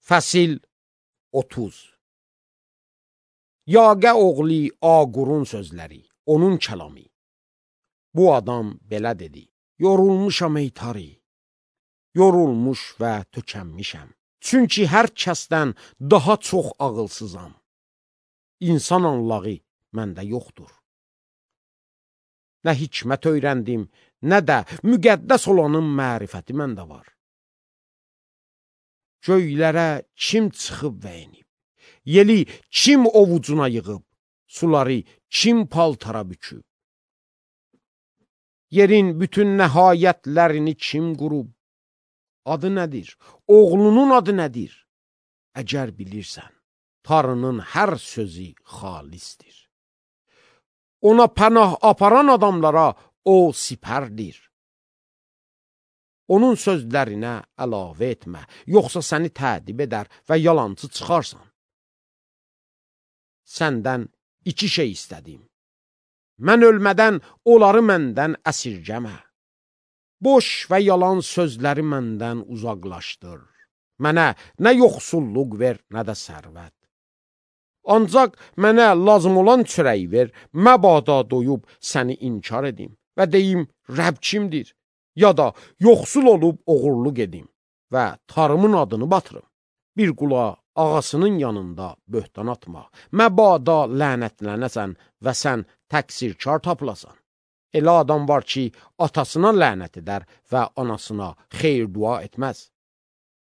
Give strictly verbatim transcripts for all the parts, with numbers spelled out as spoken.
Fəsil otuz. Yaqə oğli Aqurun sözləri, onun kəlamı. Bu adam belə dedi: yorulmuşam ey tari, yorulmuş və tökənmişəm. Çünki hər kəsdən daha çox ağılsızam. İnsan anlağı məndə yoxdur. Nə hikmət öyrəndim, nə də müqəddəs olanın mərifəti məndə var. Göylərə kim çıxıb və enib, yeli kim ovucuna yığıb, suları kim paltara büküb? Yerin bütün nəhayətlərini kim qurub? Adı nədir? Oğlunun adı nədir? Əgər bilirsən, Tanrının hər sözü xalisdir. Ona pənah aparan adamlara o sipərdir. Onun sözlərinə əlavə etmə, yoxsa səni tədib edər və yalancı çıxarsan. Səndən iki şey istədim. Mən ölmədən onları məndən əsirgəmə. Boş və yalan sözləri məndən uzaqlaşdır. Mənə nə yoxsulluq ver, nə də sərvət. Ancaq mənə lazım olan çörəyi ver, məbada doyub səni inkar edim və deyim, Rəbb kimdir? Ya da yoxsul olub oğurluq edim və tarımın adını batırım. Bir qula ağasının yanında böhtan atma, məbada lənətlənəsən və sən təqsirkar tapılasan. Elə adam var ki, atasına lənət edər və anasına xeyir dua etməz.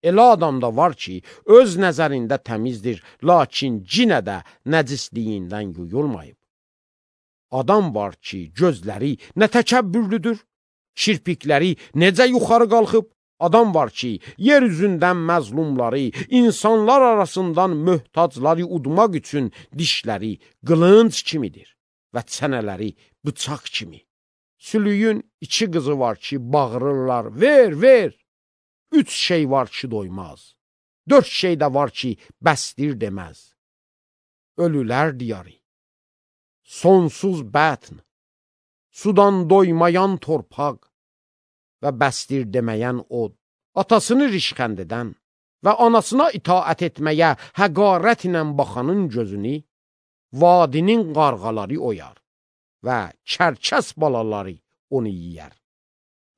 Elə adam da var ki, öz nəzərində təmizdir, lakin cinə də nəcisliyindən yuyulmayıb. Adam var ki, gözləri nə təkəbbürlüdür, kirpikləri necə yuxarı qalxıb. Adam var ki, yer üzündən məzlumları, insanlar arasından möhtacları udmaq üçün dişləri qılınc kimidir və çənələri bıçaq kimi. Sülüyün iki qızı var ki, bağırırlar, ver, ver. Üç şey var ki, doymaz. Dörd şey də var ki, bəsdir deməz. Ölülər diyarı, sonsuz bətn, sudan doymayan torpaq və bəsdir deməyən od, atasını rişxənd edən və anasına itaət etməyə həqarət ilə baxanın gözünü, vadinin qarğaları oyar və çərkəs balaları onu yiyər.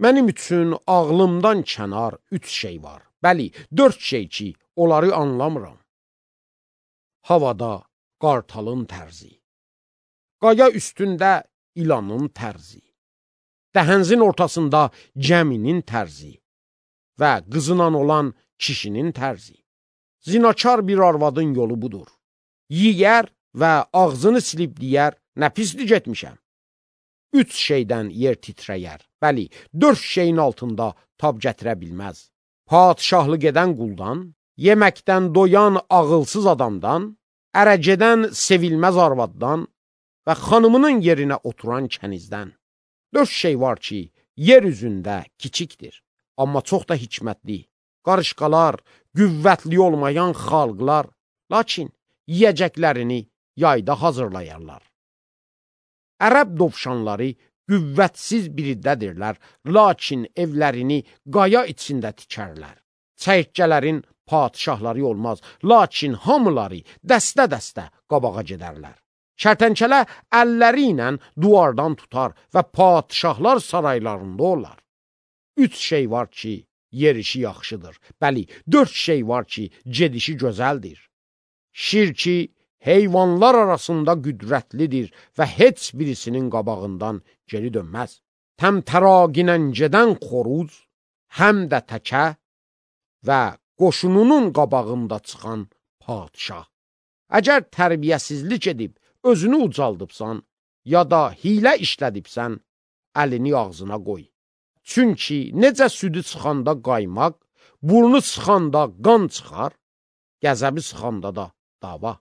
Mənim üçün ağlımdan kənar üç şey var. Bəli, dörd şey ki, onları anlamıram. Havada qartalın tərzi, qaya üstündə ilanın tərzi, dəhənzin ortasında gəminin tərzi və qızınan olan kişinin tərzi. Zinakar bir arvadın yolu budur. Yiyər və ağzını silib deyər, nə pislik etmişəm. Üç şeydən yer titrəyər. Bəli, dörd şeyin altında tab gətirə bilməz. Padişahlıq edən quldan, yeməkdən doyan ağılsız adamdan, ərəgedən sevilməz arvaddan və xanımının yerinə oturan kənizdən. Dörd şey var ki, yer üzündə kiçikdir, amma çox da hikmətli. Qarışqalar, qüvvətli olmayan xalqlar, lakin yiyəcəklərini yayda hazırlayarlar. Ərəb dovşanları qüvvətsiz biriddədirlər, lakin evlərini qaya içində tikərlər. Çəyirtkələrin padişahları olmaz, lakin hamıları dəstə-dəstə qabağa gedərlər. Kərtənkələ əlləri ilə duvardan tutar və padişahlar saraylarında olar. Üç şey var ki, yerişi yaxşıdır. Bəli, dörd şey var ki, gedişi gözəldir. Şir ki, heyvanlar arasında qüdrətlidir və heç birisinin qabağından geri dönməz. Təmtəraginən gedən xoruz, həm də təkə və qoşununun qabağında çıxan padişah. Əgər tərbiyəsizlik edib, özünü ucaldıbsan, ya da hilə işlədibsən, əlini ağzına qoy. Çünki necə südü çıxanda qaymaq, burnu çıxanda qan çıxar, qəzəbi çıxanda da dava.